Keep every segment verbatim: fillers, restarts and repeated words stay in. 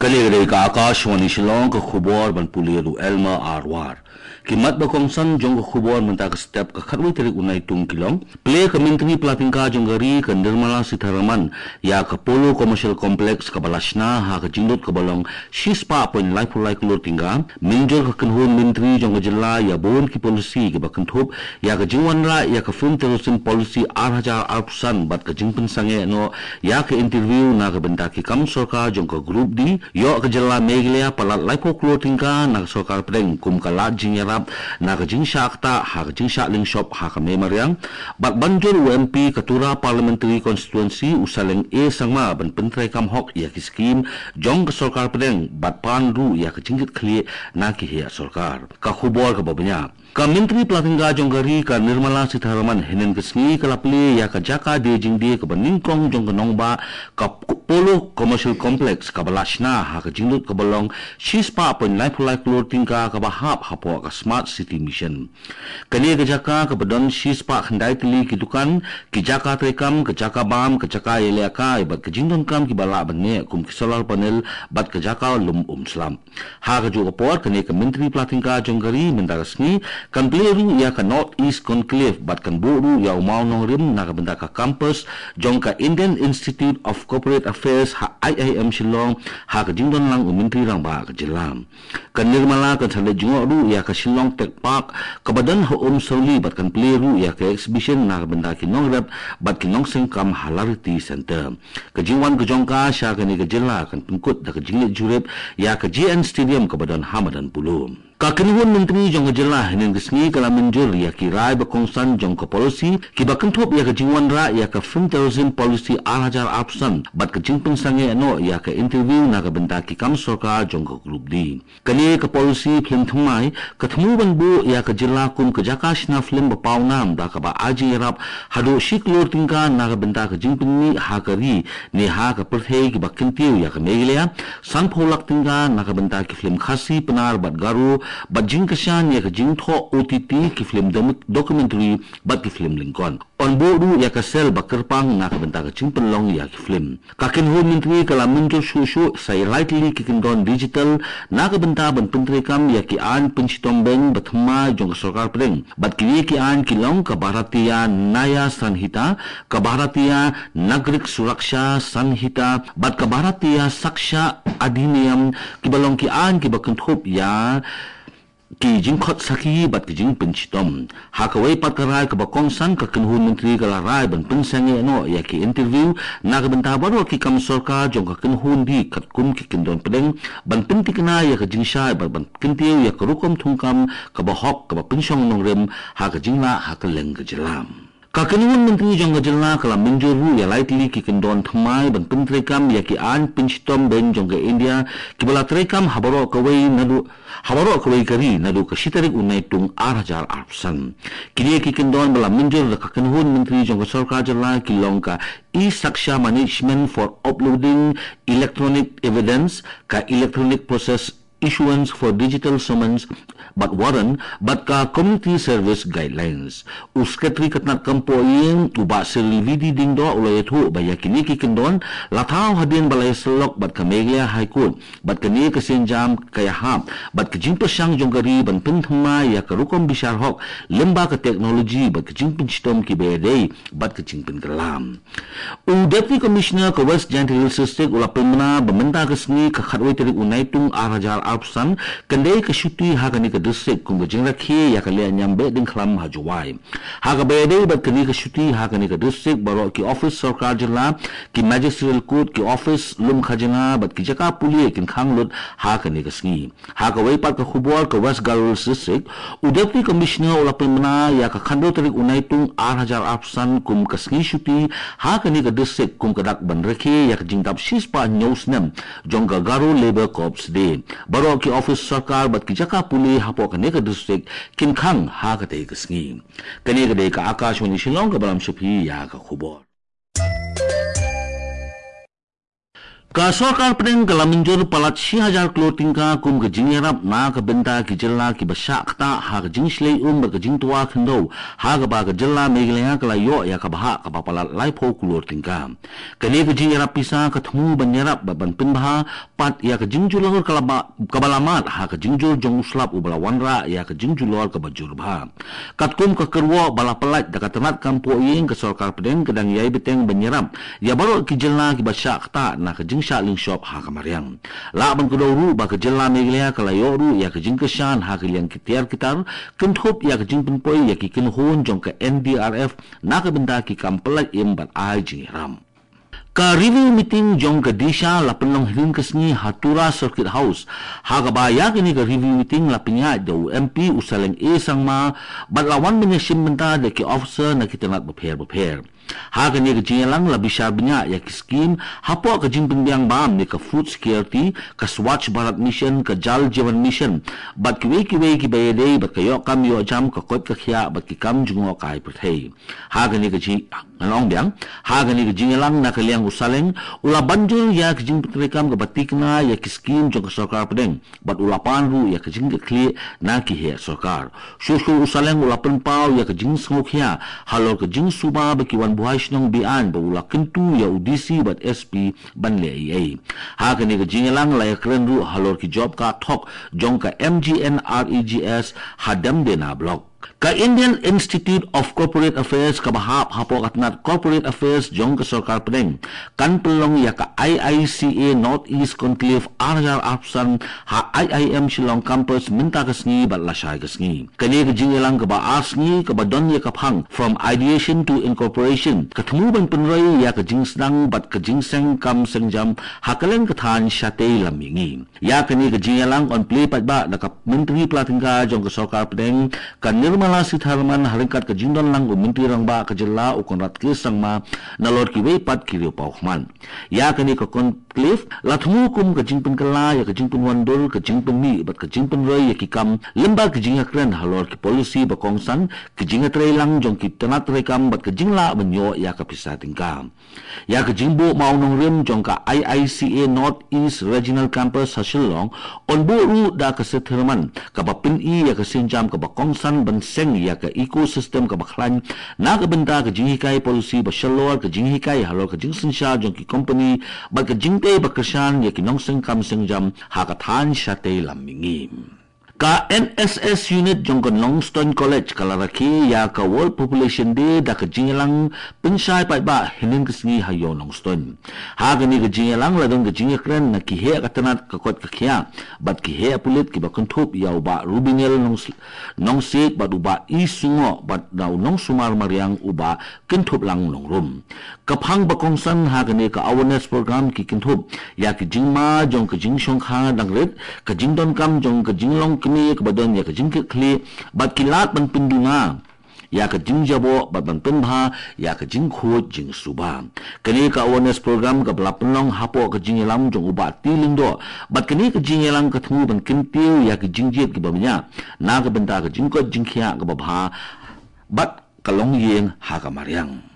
Kane ka dei ka Akashvani Shillong, ka khubor ban pule da u Elmer Arwar. Ki mat ba kongsan jong ka khubor mynta ka step, ka khatwei tarik u Naitung ki long. Plie, ka Myntri Pyllaityngka jong ka ri, ka Nirmala Sitharaman, ïa ka Polo Commercial Complex kaba la shna ha ka jinglut kaba long shispah point laiphew lai klur tyngka. Mynjur ka kynhun myntri jong ka jylla ïa bun ki polisi kiba kynthup ïa ka jingwanrah ïa ka Film Tourism Policy ar hajar arphew san bad ka jingpynsangeh noh ïa ka interview na ka bynta ki kam sorkar jong ka Group D. Ïoh ka jylla Meghalaya palat laiphew klur tyngka na ka sorkar pdeng kum ka lad jingïarap na ka jingshah ktah ha ka jingshah lyngshop ha ka mei mariang. Bad ban jur u M P ka Tura Parliamentary Constituency, u Saleng A Sangma, ban pyntreikam hok ïa ki skim jong ka sorkar pdeng bad pan ruh ïa ka jingkitkhlieh na ki heh sorkar. Ka khubor kaba bniah. Ka Myntri Pyllaityngka jong ka ri, ka Nirmala Sitharaman, hynnin ka sngi ka la plie ïa ka jaka die jingdie kaba nyngkong jong ka nongbah, ka Polo Commercial Complex kaba la shna ha ka jinglut kaba long shispah point laiphew lai klur tyngka kaba hap hapoh ka Smart City Mission. Kane ka jaka kaba don shispah khyndai tylli ki dukan, ki jaka treikam, ka jaka bam, ka jaka ïalehkai bad ka jingdonkam kiba lah ban neh kum ki solar panel bad ka jaka lum um slap. Ha kajuh ka por, kane ka Myntri Pyllaityngka jong ka ri mynta ka sngi kan plie ruh ïa ka North East Conclave bad kan buh ruh ïa u mawnongrim na ka bynta ka campus jong ka Indian Institute of Corporate Affairs ha I I M Shillong ha ka jingdon lang u Myntri Rangbah ka jylla. Ka Nirmala kan sa leit jngoh ruh ïa ka Shillong Tech Park kaba don ha Umsawli bad kan plie ruh ïa ka exhibition na ka bynta ki nongrep bad ki nongseng kam ha Lariti Centre. Ka jingwan ka jong ka sha kane ka jylla kan pynkut da ka jingleit jurip ïa ka J N Stadium kaba don ha madan Polo. Ka kynhun myntri jong ka jylla hynnin ka sngi ka la mynjur ïa ki rai ba kongsan jong ka policy kiba kynthup ïa ka jingwanrah ïa ka Film Tourism Policy ar hajar arphew san bad ka jingpynsangeh noh ïa ka interview na ka bynta ki kam sorkar jong ka Group D. Kane ka policy film thymmai ka thmu ban buh ïa ka jylla kum ka jaka shna film ba pawnam da kaba ai jingïarap haduh shi klur tyngka na ka bynta ka jingpynmih ha ka ri ne ha ka pyrthei kiba kyntiew ïa ka Meghalaya, sanphew lak tyngka na ka bynta ki film Khasi, Pnar bad Garo, bad jingkyrshan ïa ka jingthoh O T T ki film dom-, documentary bad ki film lyngkot. Yn buh ruh ïa ka sel ba kyrpang na ka bynta ka jingpynlong ïa ki film. Ka kynhun myntri ka la mynjur shuh shuh sa ïa lai tylli ki kyndon digital na ka bynta ban pyntreikam ïa ki aiñ pynshitom beiñ ba thymmai jong ka sorkar pdeng. Bad kine ki aiñ ki long ka Bharatiya Nyaya Sanhita, ka Bharatiya Nagarik Suraksha Sanhita, bad ka Bharatiya Sakshya Adhiniyam, kiba long ki aiñ kiba kynthup ïa ki jingkhot sakhi bad ki jingpynshitom. Ha kawei pat ka rai kaba kongsan, ka kynhun myntri ka la rai ban pynsangeh noh ïa ki interview na ka bynta baroh ki kam sorkar jong ka kynhun ri katkum ki kyndon pdeng ban pynthikna ïa ka jingshai bad ban kyntiew ïa ka rukom thungkam kaba hok kaba pynshong nongrim ha ka jinglah ha kylleng ka jylla. Ka kynhun myntri jong ka jylla ka la mynjur ruh ïa lai tylli ki kyndon thymmai ban pyntreikam ïa ki aiñ pynshitom beiñ jong ka India kiba la treikam ha baroh kawei naduh, ha baroh kawei ka ri naduh ka shi tarik u Naitung ar hajar arphew san. Kine ki kyndon ba la mynjur da ka kynhun myntri jong ka sorkar jylla ki long ka E-Sakshya Management for Uploading Electronic Evidence, ka Electronic Process Issuance for Digital Summons bad Warrant, bad ka Community Service Guidelines. U Secretary ka tnad kam poh ïing, u Bah Cyril V D Diengdoh, u la ïathuh ba ïa kine ki kyndon la thaw hadien ba la ïasyllok bad ka Meghalaya High Court bad kane ka sienjam ka ïahap bad ka jingpyrshang jong ka ri ban pynthymmai ïa ka rukom bishar hok lyngba ka technology bad ka jingpynshitom kiba ïadei bad ka jingpynkylla. U Deputy Commissioner ka West Jaintia Hills District u la pynbna ba mynta ka sngi ka khatwei tarik u Naitung ar hajar arphew san kan dei ka shuti ha kane ka district kum ka jingrakhe ïa ka lehniam Behdeiñkhlam ha Jowai. Ha kaba ïadei bad kane ka shuti ha kane ka district, baroh ki office sorkar jylla, ki magisterial court, ki office lum khajna bad ki jaka pule kin khang lut ha kane ka sngi. Ha kawei pat ka khubor, ka West Garo Hills District, u Deputy Commissioner u la pynbna ïa ka khathynriew tarik u Naitung ar hajar arphew san kum ka sngi shuti ha kane ka district kum ka dak ban rakhe ïa ka jingdap shispah hynñiew snem jong ka Garo Labour Corps Day. Baroh ki office sorkar bad ki jaka pule hapoh kane ka district kin khang ha katei ka sngi. Kane ka dei ka Akashvani Shillong kaba lam sha phi ïa ka khubor. Ka sorkar pdeng ka la mynjur palat shi hajar klur tyngka kum ka jingïarap na ka bynta ki jylla kiba shah ktah ha ka jingshlei um bad ka jingtwa khyndew, ha kaba ka jylla Meghalaya ka la ïoh ïa ka bhah kaba palat laiphew klur tyngka. Kane ka jingïarap pisa ka thmu ban ïarap bad ban pynbha pat ïa ka jingjulor ka la ba-, kaba la mad ha ka jingjur jong u slap uba la wanrah ïa ka jingjulor kaba jur bha. Katkum ka kyrwoh ba la pyllait da ka tnat kam pohïing, ka sorkar pdeng ka dang ïai bteng ban ïarap ïa baroh ki jylla kiba shah ktah na ka jingshah lyngshop ha ka mariang. Lah ban kdew ruh ba ka jylla Meghalaya ka la ïoh ruh ïa ka jingkyrshan ha ka liang ki tiar ki tar, kynthup ïa ka jingpynpoi ïa ki kynhun jong ka N D R F na ka bynta ki kam pyllait im bad ai jingïarap. Ka review meeting jong ka DISHA la pynlong hynnin ka sngi ha Tura Circuit House. Ha kaba ïa kane ka review meeting la pynïaid da u M P u Saleng A Sangma, bad la wan ban ïashim bynta da ki officer na ki tnat bapher bapher. Ha kane ka jingïalang la bishar bniah ïa ki skim hapoh ka jingpynbiang bam ne ka food security, ka Swachh Bharat Mission, ka Jal Jeevan Mission, bad kiwei kiwei kiba ïadei bad ka ïoh kam ïoh jam, ka koit ka khiah bad ki kam jngohkai pyrthei. Ha kane ka jing, ngan ong biang, ha kane ka jingïalang na ka liang u Saleng u la ban jur ïa ka jingpyntreikam kaba tikna ïa ki skim jong ka sorkar pdeng, bad u la pan ruh ïa ka jingkitkhlieh na ki heh sorkar. Shuh shuh u Saleng u la pynpaw ïa ka jingsngewkhia halor ka jingsuba ba ki wan buhai shnong be-aiñ, bad u la kyntu ïa u D C bad S P ban leh ei ei. Ha kane ka jingïalang la ïakren ruh halor ki job card thok jong ka M G N R E G S ha Demdena Block. Ka Indian Institute of Corporate Affairs kaba hap hapoh ka tnat Corporate Affairs jong ka sorkar pdeng kan pynlong ïa ka I I C A North East Conclave ar hajar arphew san ha I I M Shillong Campus mynta ka sngi bad lashai ka sngi. Kane ka jingïalang kaba ar sngi kaba don ïa ka phang From Ideation to Incorporation ka thmu ban pynroi ïa ka jingsdang bad ka jingseng kam seng jam ha kylleng ka thaiñ shatei lam mihngi. Ïa kane ka jingïalang yn plie paidbah da ka Myntri Pla Tyngka jong ka sorkar pdeng, ka Nirmala Sitharaman, ha ryngkat ka jingdon lang u Myntri Rangbah ka jylla u Conrad K Sangma, nalor kiwei pat ki riewpawkhmat. Ïa kane ka conclave la thmu kum ka jingpynkylla ïa ka jingpynwandur, ka jingpynmih bad ka jingpynroi ïa ki kam lyngba ka jingïakren halor ki policy ba kongsan, ka jingïatreilang jong ki tnat treikam bad ka jinglah ban ïoh ïa ka pisa tyngka. Ïa ka jingbuh mawnongrim jong ka I I C A North East Regional Campus ha Shillong yn buh ruh da ka Sitharaman, kaba pyni ïa ka sienjam kaba kongsan ban seng ïa ka ecosystem kaba khlaiñ na ka bynta ka jinghikai policy ba shalor, ka jinghikai halor ka jingsynshar jong ki kompani bad ka jingtei ba kyrshan ïa ki nongseng kam seng jam ha ka thaiñ shatei lam mihngi. Ka N S S unit jong ka Nongstoiñ College ka la rakhe ïa ka World Population Day da ka jingïalang pynshai paidbah hynnin ka sngi ha ïew Nongstoiñ. Ha kane ka jingïalang la don ka jingïakren na ki heh ka tnat ka koit ka khiah bad ki heh pulit kiba kynthup ïa u Bah Rubinel Nongs-, Nongsiej bad u Bah I Sungoh bad na u nongsumar mariang u Bah Kynthup Lang Nongrum. Ka phang ba kongsan ha kane ka awareness program ki kynthup ïa ki jingma jong ka jingshongkha dang rit, ka jingdonkam jong ka jinglong kmie kaba don ïa ka jingkitkhlieh bad ki lad ban pynduna ïa ka jingjaboh bad ban pynbha ïa ka jingkhuid jingsuba. Kane ka awareness program kaba la pynlong hapoh ka jingïalam jong u Bah T Lyngdoh, bad kane ka jingïalang ka thmu ban kyntiew ïa ka jingjied kaba bniah na ka bynta ka jingkoit jingkhiah kaba bha bad ka longïing ha ka mariang.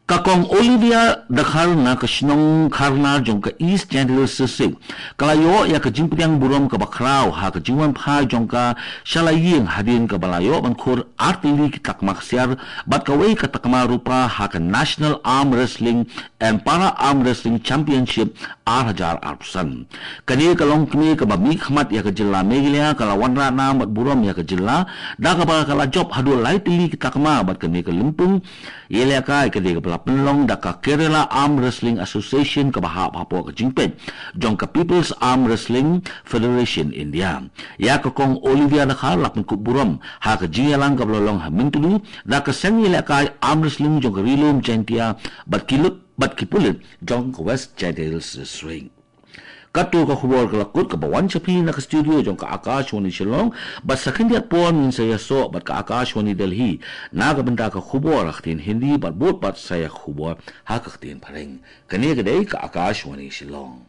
Ka Kong Olivia Dkhar na ka shnong Kharnar jong ka East Jaintia Hills District ka la ïoh ïa ka jingpdiang burom kaba khraw ha ka jingwanphai jong ka sha la ïing hadien kaba la ïoh ban khur ar tylli ki takma ksiar bad kawei ka takma rupa ha ka National Arm Wrestling and Para Arm Wrestling Championship ar hajar arphew san. Kane ka longkmie kaba mihkhmat ïa ka jylla Meghalaya ka la wanrah nam bad burom ïa ka jylla da kaba ka la jop haduh lai tylli ki takma bad kane ka lympung ïalehkai ka dei kaba la pynlong da ka Kerala Arm Wrestling Association kaba hap hapoh ka jingpeit jong ka People's Arm Wrestling Federation India. Ïa ka Kong Olivia Dkhar la pynkup burom ha ka jingïalang kaba la long ha Myntdu da ka seng ïalehkai arm wrestling jong ka Ri Lum Jaintia bad ki lut bad ki pulit jong ka West Jaintia Hills District. Katto ka khubor ka la kut kaba wan sha phi na ka studio jong ka Akashvani Shillong, bad sa khyndiat por ngin sa ïasoh bad ka Akashvani Delhi na ka bynta ka khubor ha ka ktien Hindi bad bud pat sa ïa ka khubor ha ka ktien Phareng. Kane ka dei ka Akashvani Shillong.